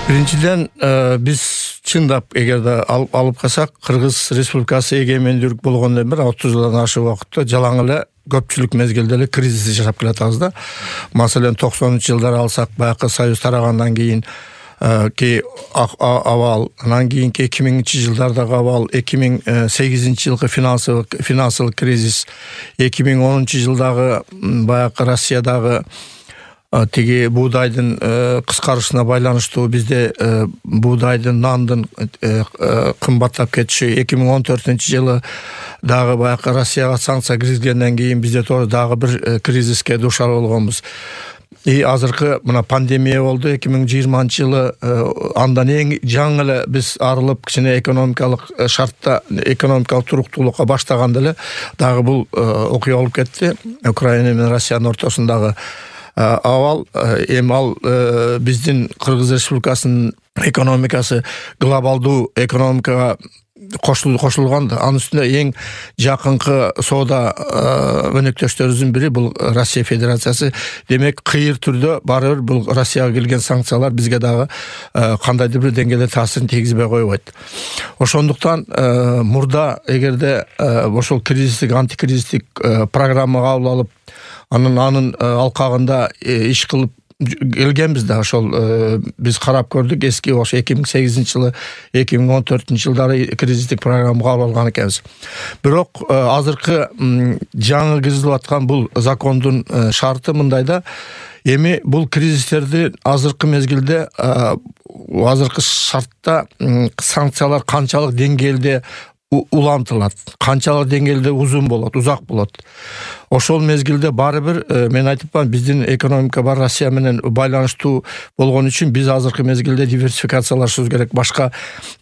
Биринчиден биз чындап эгерде алып калсак, Кыргыз Республикасы эгемендүүлүк болгондон бери 30 жылдан ашык убакытта жалаң эле көпчүлүк мезгилде эле кризис жашап келатабыз да. Маселен 90-жылдары алсак, баягы Союз тарагандан кийин абал, анан кийинки 2000-жылдардагы абал, 2008-жылкы финансылык кризис, 2010-жылдагы баягы Россиядагы тиги буудайдын кыскарышына байланыштуу бизде буудайдын, нандын кымбаттап кетиши, 2014-жылы дагы баягы Россияга санкция киргизгенден кийин бизде дагы бир кризиске дуушар болгонбуз. Азыркы мына пандемия болду 2020-жылы, андан эң жаңы эле биз арылып кичине экономикалык шартта, экономикалык туруктуулукка баштаганда эле дагы бул окуя болуп кетти. Украина менен Россиянын ортосундагы абал, эми ал биздин Кыргыз Республикасынын экономикасы глобалдуу экономикага кошулган. Анын үстүнө эң жакынкы соода өнөктөштөрүбүздүн бири бул Россия Федерациясы. Демек, кыйыр түрдө баары бир бул Россияга келген санкциялар бизге дагы кандайдыр бир деңгээлде таасирин тийгизбей койбойт. Ошондуктан мурда эгерде ошол кризистик, антикризистик программа кабыл алып, анын алкагында иш кылып келгенбиз да. Ошол биз карап көрдүк, эски ошо 2008-жылы, 2014-жылдары кризистик программа кабыл алган экенбиз. Бирок азыркы жаңы киргизилип аткан бул закондун шарты мындайда, эми бул кризистерди азыркы мезгилде, азыркы шартта санкциялар канчалык деңгээлде улантылат, канчалык деңгээлде узун болот, узак болот. Ошол мезгилде баары бир мен айтыпман, биздин экономика бар Россия менен байланыштуу болгон үчүн биз азыркы мезгилде диверсификациялашыбыз керек. Башка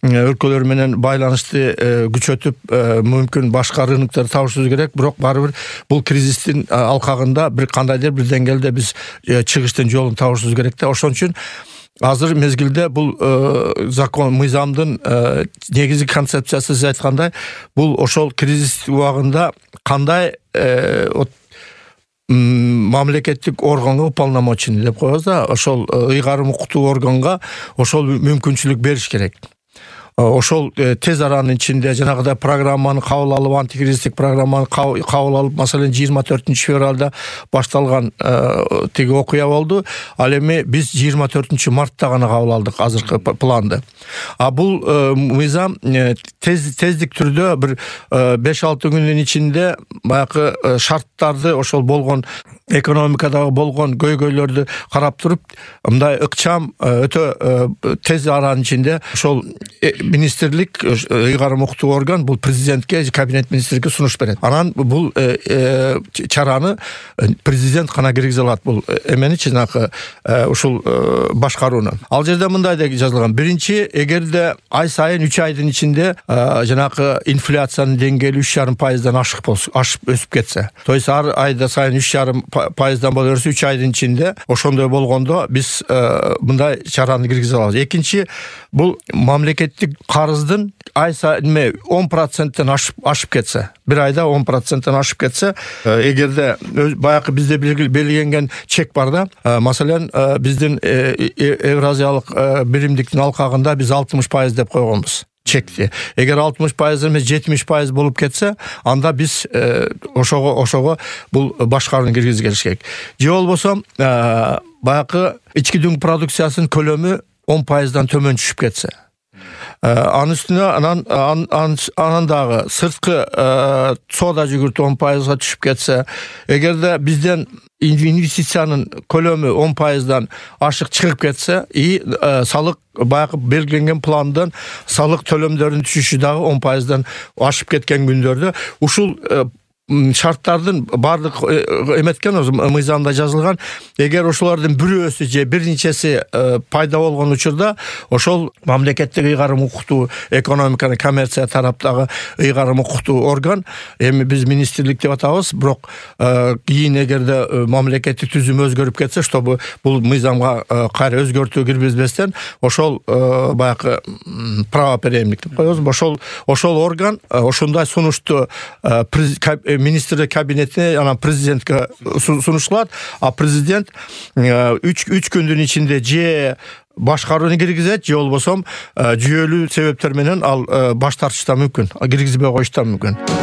өлкөлөр менен байланышты күчөтүп, мүмкүн башка рыноктор табышыбыз керек. Бирок баары бир бул кризистин алкагында бир кандайдыр бир деңгээлде биз чыгыштын жолун табышыбыз керек да. Ошон үчүн азыр мезгилде бул закон, мыйзамдын негизги концепциясы сиз айткандай, бул ошол кризис убагында кандай мамлекеттик органга уполномоченный деп коебуз да, ошол ыйгарым укуктуу органга ошол мүмкүнчүлүк бериш керек. Ошол тез аранын ичинде жанагыдай программаны кабыл алып, антикризистик программаны кабыл алып, маселен 24-февралда башталган тиги окуя болду. Ал эми биз 24-мартта гана кабыл алдык азыркы планды. Бул мыйзам тездик түрдө бир 5-6 күндүн ичинде баягы шарттарды, ошол болгон экономикадагы болгон көйгөйлөрдү карап туруп, мындай ыкчам, өтө тез аранын ичинде ошол министрлик, ыйгарым укуктуу орган бул президентке, кабинет министрге сунуш берет. Анан бул чараны президент гана киргизе алат, бул эменичи жанагы ушул башкарууну. Ал жерде мындай деп жазылган: биринчи, эгерде ай сайын 3 айдын ичинде жанагы инфляциянын деңгээли 3,5%-дан ашып өсүп кетсе, то есть ар айда сайын 3,5%-дан боло берсе, 3 айдын ичинде ошондой болгондо биз мындай чараны киргизе алабыз. Экинчи, бул мамлекеттик карыздын ай сайын 10%-тен ашып кетсе, бир айда 10%-тен ашып кетсе, эгерде баягы бизде белгиленген чек бар да, маселен биздин Евразиялык биримдиктин алкагында биз 60% деп койгонбуз чекти. Эгер 60% эмес 70% болуп кетсе, анда биз ошого бул башкарууну киргизип келиш керек. Же болбосо баягы ички дүң продукциясынын көлөмү 10%-дан төмөн түшүп кетсе, анын үстүнө анан дагы сырткы соода жүгүртүү 10%-га түшүп кетсе, эгерде бизден инвестициянын көлөмү 10%-дан ашык чыгып кетсе, салык баягы белгиленген пландан салык төлөмдөрүнүн түшүшү дагы 10%-дан ашып кеткен күндөрдө ушул шарттардын бардык эметкен, мыйзамда жазылган. Эгер ошолордун бирөөсү же бир нечеси пайда болгон учурда, ошол мамлекеттик ыйгарым укуктуу, экономиканы, коммерция тараптагы ыйгарым укуктуу орган, эми биз министрлик деп атабыз, бирок кийин эгерде мамлекеттик түзүм өзгөрүп кетсе, чтобы бул мыйзамга кайра өзгөртүү киргизбестен, ошол баягы правопреемник деп коебуз, ошол орган ошондой сунушту министрлер кабинетине анан президентке сунушталат, а президент 3 күндүн ичинде же башкарууну киргизет, же болбосо жүйөлүү себептер менен ал баш тартышы да мүмкүн, киргизбей коюшу да мүмкүн.